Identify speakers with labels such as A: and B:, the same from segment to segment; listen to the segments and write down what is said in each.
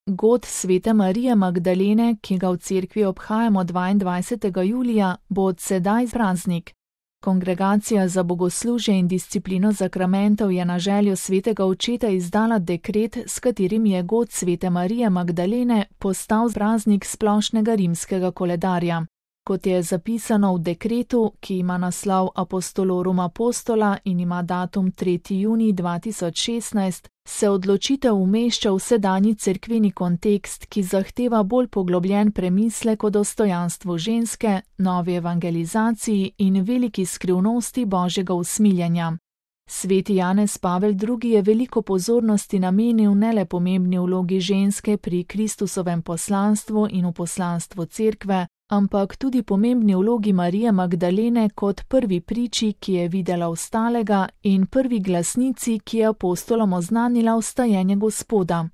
A: God svete Marije Magdalene, ki ga v cerkvi obhajamo 22. julija, bo od sedaj praznik. Kongregacija za bogoslužje in disciplino zakramentov je na željo svetega očeta izdala dekret, s katerim je God svete Marije Magdalene postal praznik splošnega rimskega koledarja. Kot je zapisano v dekretu, ki ima naslov Apostolorum Apostola in ima datum 3. junij 2016, se odločitev umešča v sedanji cerkveni kontekst, ki zahteva bolj poglobljen premislek o dostojanstvu ženske, novi evangelizaciji in veliki skrivnosti Božjega usmiljenja. Sveti Janez Pavel II. Je veliko pozornosti namenil ne le pomembni vlogi ženske pri Kristusovem poslanstvu in v poslanstvu cerkve, ampak tudi pomembni vlogi Marije Magdalene kot prvi priči, ki je videla ostalega, in prvi glasnici, ki je apostolom oznanila vstajenje Gospoda.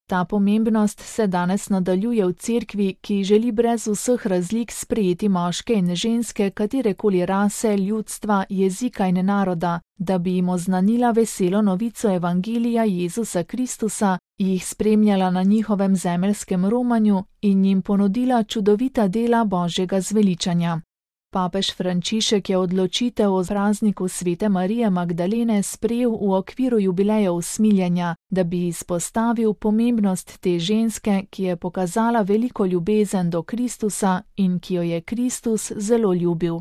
A: Ta pomembnost se danes nadaljuje v cerkvi, ki želi brez vseh razlik sprejeti moške in ženske katerekoli rase, ljudstva, jezika in naroda, da bi jim oznanila veselo novico Evangelija Jezusa Kristusa, jih spremljala na njihovem zemeljskem romanju in jim ponudila čudovita dela Božjega zveličanja. Papež Frančišek je odločitev o prazniku svete Marije Magdalene sprejel v okviru jubileja usmiljenja, da bi izpostavil pomembnost te ženske, ki je pokazala veliko ljubezen do Kristusa in ki jo je Kristus zelo ljubil.